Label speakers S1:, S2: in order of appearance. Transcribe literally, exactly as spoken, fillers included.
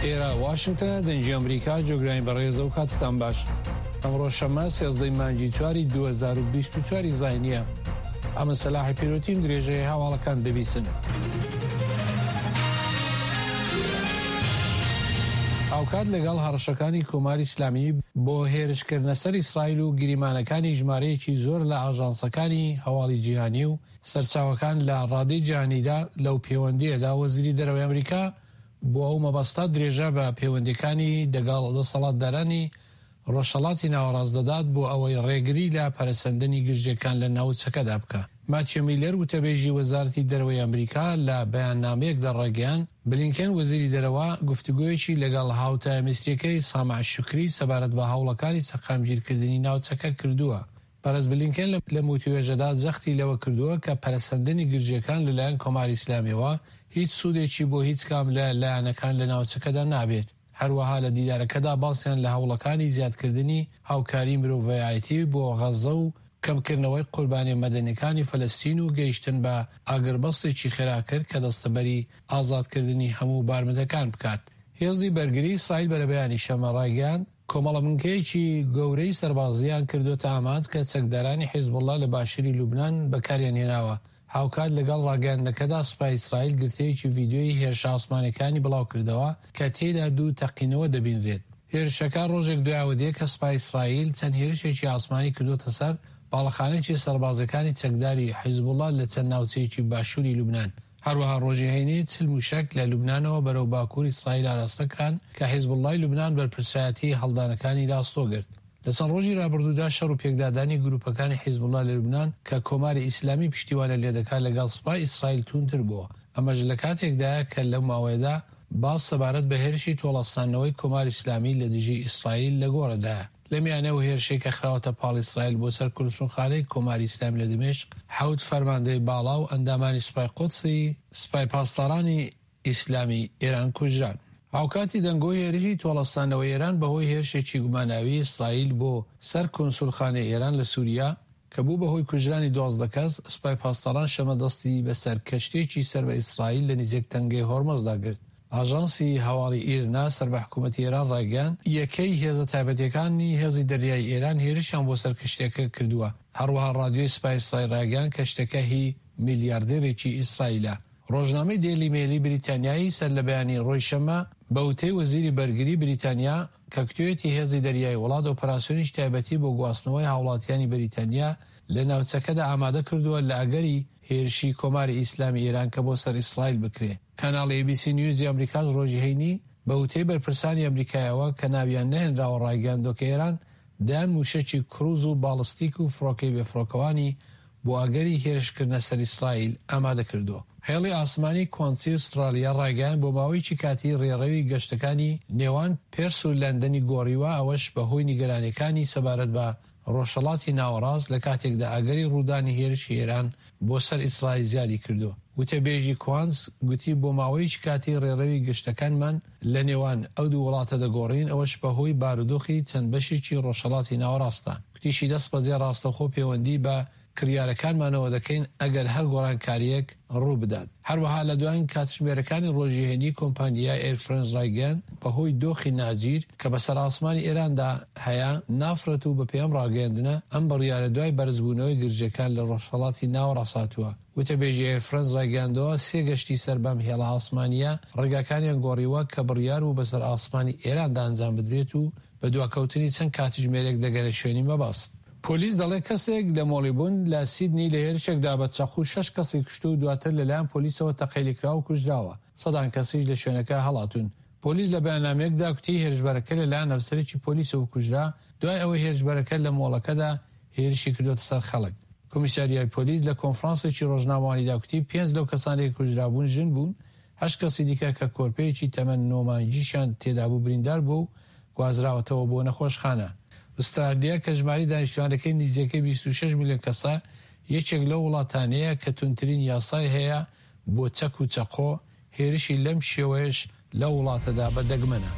S1: ئێرە واشنگتنە، دەنگی ئەمریکا، جۆگرانی بەڕێزە و کاتتان باش. ئەمڕۆ شەممە سێزدەی مانگی چواری دوو هەزار و بیست و چوار زاینیە. ئەمە سەلاحی پیرۆتیم، درێژەی هەواڵەکان دەبیسن. هاوکات لەگەڵ هەڕەشەکانی کۆماری ئیسلامی بۆ هێرشکردنە سەر ئیسرائیل و گریمانەکانی ژمارەیەکی زۆر لە ئاژانسەکانی هەواڵی جیهانی و سەرچاوەکان لە ڕادەی جیهانیدا لەو پەیوەندیەدا وەزیری دەرەوەی ئەمریکا بۆ ئەو مەبەستە درێژە بە پەیوەندیەکانی دەگەڵ دەسەڵاتدارانی ڕۆژهەڵاتی ناوەڕاست دەدات بۆ ئەوەی ڕێگری لە پەرەسەندنی گرژیەکان لە ناوچەکەدا بکە. ماتیۆ میلەر وتەبێژی وەزارەتی دەرەوەی ئەمریکا لە بەیاننامەیەکدا ڕایگەیاند، بلینکن وەزیری دەرەوە گفتوگۆیەکی لەگەڵ هاوتا میسریەکەی سامع شوکری سەبارەت بە هەوڵەکانی سەقامگیرکردنی ناوچەکە کردووە. پەرس بلینکن لە وتوێژەدا جەختی لەوە کردووە کە پەرەسەندنی گرژیەکان لەلایەن کۆماری ئیسلامیەوە هیچ سوودێکی بۆ هیچ کام لە لایەنەکان لە ناوچەکەدا نابێت. هەروەها لە دیدارەکەدا باسیان لە هەوڵەکانی زیادکردنی هاوکاری مرۆڤایەتی بۆ غەزە و کەمکردنەوەی قوربانی مەدەنیەکانی فەلەستین و گەیشتن بە ئاگربەستێکی خێرا کرد کە دەستەبەری ئازادکردنی هەموو بارمتەکان بکات. هێزی بەرگری ئیسرائیل بەرەبەیانی شەممە ڕایگەیاند، کۆمەڵە بنکەیەکی گەورەی سەربازیان کردوتە ئامانج کە چەکدارانی حیزبوڵڵا لە باشووری لوبناان بەکاریان هێناوە. هاوکات لەگەڵ ڕاگەیاندنەکەدا سوپای ئیسرائیل گرتەیەکی ڤیدیۆیی هێرشە ئاسمانیەکانی بڵاو کردەوە کە تێیدا دوو تەقینەوە دەبینرێت. هێرشەکە ڕۆژێک دوایەوە دێ کە سوپای ئیسرائیل چەند هێرشێکی ئاسمانی کردوتە سەر باڵەخانێکی سەربازەکانی چەکداری حیزبوڵڵا لە چەند ناوچەیەکی باشووری لوبناان. هەروەها ڕۆژی هەینی چل موشک لە لوبنانەوە بەرەو باکوور ئیسرائیل ئاراستە کران کە حیزبوڵڵای لوبناان بەرپرسایەتی هەڵدانەکانی لاستۆ گرت. لە چەند ڕۆژی رابردوودا شەڕ و پێکدادانی گروپەکانی حیزبوڵڵا لە لوبناان کە کۆماری ئیسلامی پشتیوانە لێدەکات لەگەڵ سوپای ئیسرائیل توندتر بووە. ئەمەش لە کاتێکدایە کە لەو ماوەیەدا باس سەبارەت بە هێرشی تۆڵەسەندنەوەی کۆماری ئیسلامی لە دژی ئیسرائیل لە گۆڕدایە. لە میانەوە هێرشێک کە خراوەتە پاڵ ئیسرائیل بۆ سەر کونسوڵخانەی کۆماری ئیسلامی لە دمشق، حەوت فەرماندەی باڵا و ئەندامانی سوپای قودسی سوپای پاسدارانی ئیسلامی ئێران کوژران. هاوکاتی دەنگۆی هێرشی تۆڵەسەندنەوەی ئێران بەهۆی هێرشێکی گوماناوی ئیسرائیل بۆ سەر کونسوڵخانەی ئێران لە سوریا کە بوو بەهۆی کوژرانی دوازدە کەس، سوپای پاسداران شەمە دەستی بەسەر کەشتێکی سەر بە ئیسرائیل لە نزیک تەنگەی هۆرمزدا گرت. ئاژانسی هەواڵی ئیرنا سەر بە حکوومەتی ئێران ڕایگەیاند، یەکەی هێزە تایبەتیەکانی هێزی دەریای ئێران هێرشیان بۆ سەر کەشتیەکە کردووە. هەروەها ڕادیۆی سوپای ئیسرائیل ڕایگەیاند کەشتەکە هی میلیاردێرێکی ئیسرائیلە. ڕۆژنامەی دێلی مێلی بریتانیایی سەر لە بەیانی ڕۆژی شەممە بە وتەی وەزیری بەرگری بریتانیا کە کتوێتی هێزی دەریای وڵات ئۆپەراسیۆنی تایبەتی بۆ گواستنەوەی هاوڵاتیانی بریتانیا لە ناوچەکەدا ئامادە کردووە لە ئەگەری هێرشی کۆماری ئیسلامی ئێران کە بۆ سەر ئیسرائیل بکرێ. کەناڵی ئێ بی سی نیوزی ئەمریکاش ڕۆژی هەینی بە وتەی بەرپرسانی ئەمریکایەوە کە ناویان نەهێنراوە ڕایگەیاندووە کە ئێران دەیان موشەکی کروز و باڵستیک و فڕۆکەی بێفڕۆکەوانی بۆ ئەگەری هێرشکردنە سەر ئیسرائیل ئامادە کردووە. هێڵی ئاسمانی کوانسی ئوسترالیا ڕایگەیاند بۆ ماوەیەکی کاتی ڕێڕەوی گەشتەکانی نێوان پێرس و لەندەنی گۆڕیوە، ئەوەش بەهۆی نیگەرانیەکانی سەبارەت بە ڕۆژهەڵاتی ناوەڕاست لە کاتێکدا ئەگەری ڕوودانی هێرشی ئێران بۆ سەر ئیسرائیل زیادی کردووە. وتەبێژی کوانس گوتی بۆ ماوەیەکی کاتی ڕێڕەوی گەشتەکانمان لە نێوان ئەو دوو وڵاتە دەگۆڕین، ئەوەش بەهۆی بارودۆخی چەند بەشێکی ڕۆژهەڵاتی ناوەڕاستە. گوتیشی دەست بەجێ ڕاستەوخۆ پەیوەندی بە کڕیارەکانمانەوە دەکەین ئەگەر هەر گۆڕانکاریەک ڕوو بدات. هەروەها لە دوایین کاتژمێرەکانی ڕۆژی هەینی کۆمپانیای ئێر فرەنس ڕایگەیاند بەهۆی دۆخی ناجیر کە بەسەر ئاسمانی ئێراندا هەیە نافرەت و بەپێی ئەم ڕاگەیاندنە ئەم بڕیارە دوای بەرزبوونەوەی گرژەکان لە ڕۆژهەڵاتی ناوەڕاست هاتووە. وتەبێژی ئێر فرەنس ڕایگەیاندەوە سێ گەشتی سەر بەم هێڵە ئاسمانیە ڕێگاکانیان گۆڕیوە کە بڕیار بوو بەسەر ئاسمانی ئێراندا ئەنجام بدرێت و بە دواکەوتنی چەند کاتژمێرێک دەگەنە شوێنی مەبەست. پۆلیس دەڵێ کەسێک لە مۆڵی بوون لە سیدنی لە هێرشێکدا بە چەقوو شەش کەسی کوشت و دواتر لەلایەن پۆلیسەوە تەقەی لێکرا و کوژراوە. سەدان کەسیش لە شوێنەکە هەڵاتوون. پۆلیس لە بەیاننامەیەکدا گوتی هێرشبەرەکە لەلایەن ئەفسەرێکی پۆلیسەوە کوژرا دوای ئەوەی هێرشبەرەکە لە مۆڵەکەدا هێرشی کردووەتە سەر خەڵک. کۆمیساریای پۆلیس لە کۆنفرانسێکی ڕۆژنامەوانیدا گوتی پێنج لەو کەسانێک کوژرابوون ژن بوون، هەشت کەسی دیکە کە کۆرپەیەکی تەمەن نۆ مانگیشیان تێدا بوو بریندار بوو و گوازراوەتەوە بۆ نەخۆشخانە. ئوسترالیا کە ژمارەی دانیشتوانەکەی نزیکەی بیست و شەش ملیۆن کەسە، یەکێک لەو وڵاتانەیە کە توندترین یاسای هەیە بۆ چەک و چەقۆ، هێرشی لەم شێوەیەش لەو وڵاتەدا بە دەگمەنە.